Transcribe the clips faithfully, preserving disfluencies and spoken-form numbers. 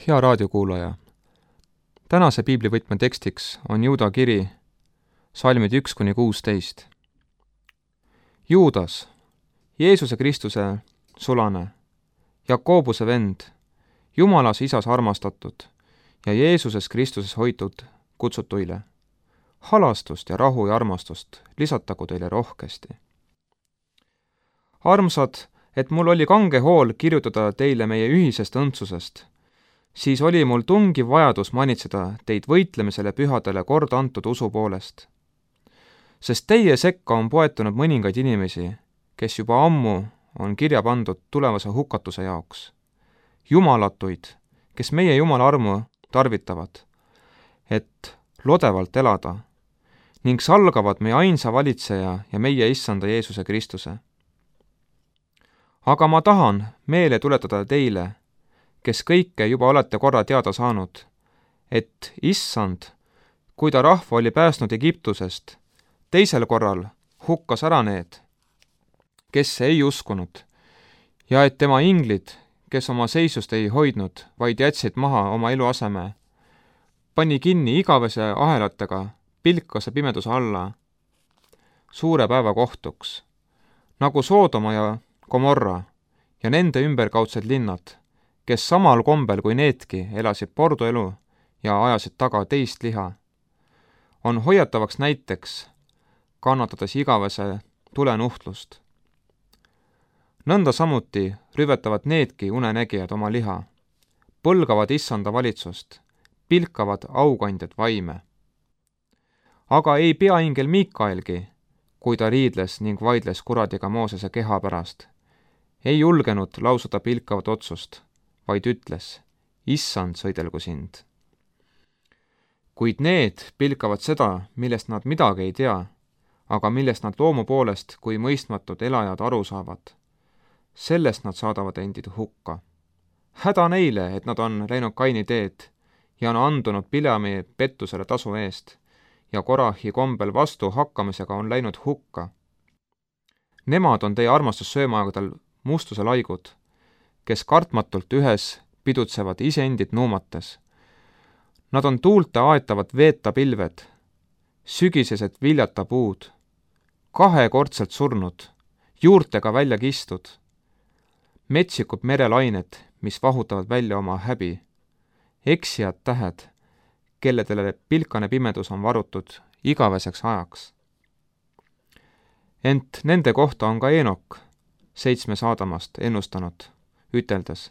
Hea raadiokuulaja! Tänase piiblivõtme tekstiks on Juuda kiri, salmid üks kuni kuusteist. Juudas, Jeesuse Kristuse sulane, Jakobuse vend, Jumalas isas armastatud ja Jeesuses Kristuses hoitud kutsutuile. Halastust ja rahu ja armastust lisatagu teile rohkesti. Armsad, et mul oli kange hool kirjutada teile meie ühisest õndsusest, siis oli mul tungiv vajadus manitseda teid võitlemisele pühadele kord antud usu poolest. Sest teie sekka on poetunud mõningaid inimesi, kes juba ammu on kirja pandud tulevase hukatuse jaoks. Jumalatuid, kes meie Jumala armu tarvitavad, et lodevalt elada, ning salgavad meie ainsa valitseja ja meie issanda Jeesuse Kristuse. Aga ma tahan meele tuletada teile, kes kõike juba olete korra teada saanud, et issand, kui ta rahva oli päästnud Egiptusest, teisel korral hukkas ära need, kes ei uskunud, ja et tema inglid, kes oma seisust ei hoidnud, vaid jätsid maha oma eluaseme, pani kinni igavese ahelatega pilkase pimeduse alla suure päeva kohtuks, nagu Soodoma ja Gomorra ja nende ümberkaudsed linnad, kes samal kombel kui needki elasid porduelu ja ajasid taga teist liha, on hoiatavaks näiteks, kannatades igavese tulenuhtlust. Nõnda samuti rüvetavad needki unenägijad oma liha, põlgavad issanda valitsust, pilkavad aukandjad vaime. Aga ei pea ingel Miikaelgi, kui ta riidles ning vaidles kuradiga Moosese keha pärast, ei julgenud lausuda pilkavat otsust, vaid ütles, issand sõidelgu sind. Kuid need pilkavad seda, millest nad midagi ei tea, aga millest nad loomu poolest kui mõistmatud elajad aru saavad. Sellest nad saadavad endid hukka. Häda neile, et nad on läinud Kaini teed ja on andunud Bileami pettusele tasu eest ja Korahi kombel vastu hakkamisega on läinud hukka. Nemad on teie armastussöömaagadel mustuse laigud, kes kartmatult ühes pidutsevad iseendid nuumates. Nad on tuulte aetavad veeta pilved, sügisesed viljata puud, kahekordselt surnud, juurtega välja kistud, metsikud merelained, mis vahutavad välja oma häbi, eksijad tähed, kelledele pilkane pimedus on varutud igaveseks ajaks. Ent nende kohta on ka Eenok, seitsme saadamast ennustanud, üteldes,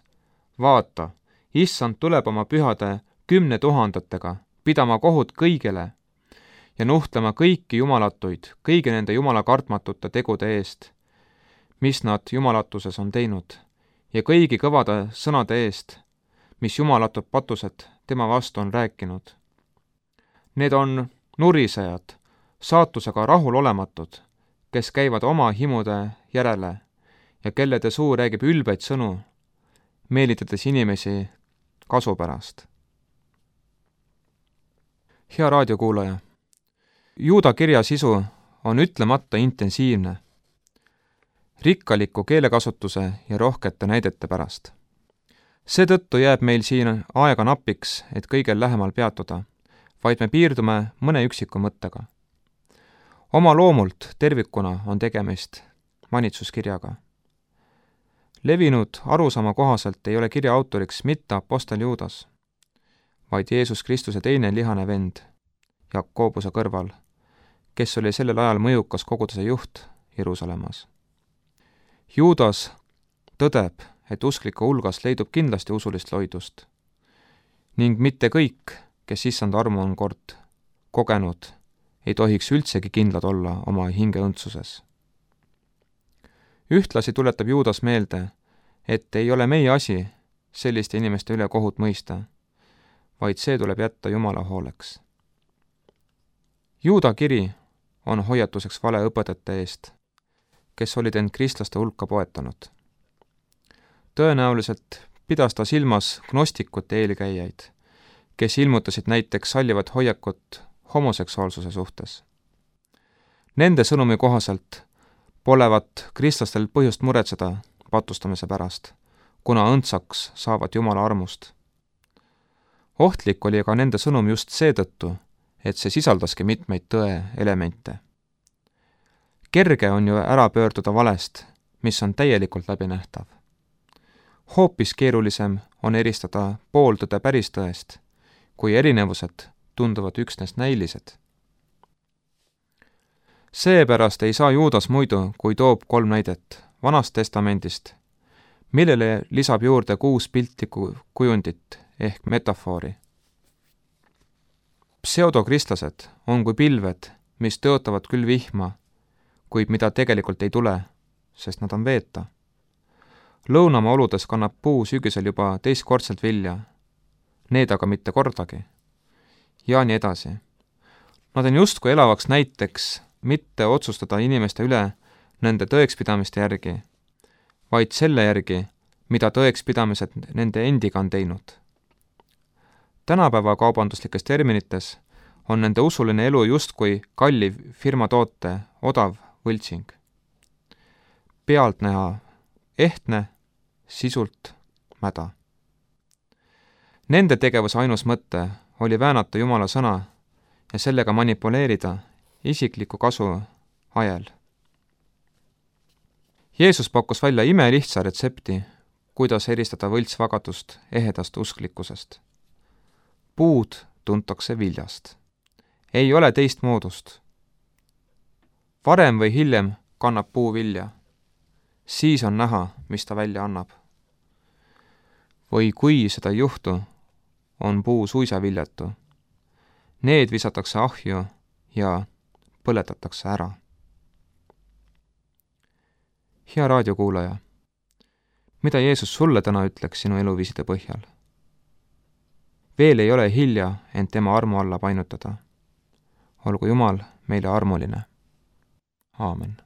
vaata, issand tuleb oma pühade kümne tuhandetega, pidama kohut kõigele ja nuhtlema kõiki jumalatuid, kõigi nende jumala kartmatute tegude eest, mis nad jumalatuses on teinud, ja kõigi kõvade sõnade eest, mis jumalatud patused tema vastu on rääkinud. Need on nurisejad, saatusega rahulolematud, kes käivad oma himude järele ja kellede suu räägib ülbeid sõnu, meelitades inimesi kasu pärast. Hea raadiokuulaja! Juuda kirja sisu on ütlemata intensiivne, rikkaliku keelekasutuse ja rohkete näidete pärast. Seetõttu jääb meil siin aega napiks, et kõigel lähemal peatuda, vaid me piirdume mõne üksiku mõttega. Oma loomult tervikuna on tegemist manitsuskirjaga. Levinud arusaama kohaselt ei ole kirja autoriks mitte apostel Juudas, vaid Jeesus Kristuse teine lihane vend, Jakobuse kõrval, kes oli sellel ajal mõjukas koguduse juht Jeruusalemmas. Juudas tõdeb, et usklike hulgas leidub kindlasti usulist loidust ning mitte kõik, kes issanda armu on kord kogenud, ei tohiks üldsegi kindlad olla oma hingeõndsuses. Ühtlasi tuletab Juudas meelde, et ei ole meie asi selliste inimeste üle kohut mõista, vaid see tuleb jätta Jumala hooleks. Juuda kiri on hoiatuseks valeõpetajate eest, kes olid end kristlaste hulka poetanud. Tõenäoliselt pidas ta silmas gnostikute eelkäijaid, kes ilmutasid näiteks sallivat hoiakut homoseksuaalsuse suhtes. Nende sõnumi kohaselt polevat kristlastel põhjust muretseda patustamise pärast, kuna õndsaks saavad Jumala armust. ohtlik oli aga nende sõnum just seetõttu, et see sisaldaski mitmeid tõe elemente. Kerge on ju ära pöörduda valest, mis on täielikult läbinähtav. Hoopis keerulisem on eristada pooltõde päris tõest, kui erinevused tunduvad üksnes näilised. Seepärast ei saa Juudas muidu, kui toob kolm näidet Vanast testamendist, millele lisab juurde kuus piltlikku kujundit ehk metafoori. Pseudokristlased on kui pilved, mis tõotavad küll vihma, kuid mida tegelikult ei tule, sest nad on veeta. Lõunamaa oludes kannab puu sügisel juba teistkordselt vilja, need aga mitte kordagi. Ja nii edasi. Nad on justkui elavaks näiteks mitte otsustada inimeste üle nende tõekspidamiste järgi, vaid selle järgi, mida tõekspidamised nende endiga on teinud. Tänapäeva kaubanduslikes terminites on nende usuline elu justkui kalliv firma toote odav võltsing. Pealtnäha ehtne, sisult mäda. Nende tegevuse ainus mõte oli väänata Jumala sõna ja sellega manipuleerida isikliku kasu ajel. Jeesus pakkus välja imelihtsa retsepti, kuidas eristada võltsvagadust ehedast usklikkusest. Puud tuntakse viljast. Ei ole teist moodust. Varem või hiljem kannab puu vilja. Siis on näha, mis ta välja annab. Või kui seda ei juhtu, on puu suisa viljatu. Need visatakse ahju ja põletatakse ära. Hea raadiokuulaja, mida Jeesus sulle täna ütleks sinu eluviiside põhjal? Veel ei ole hilja end tema armu alla painutada. Olgu Jumal meile armuline. Aamen.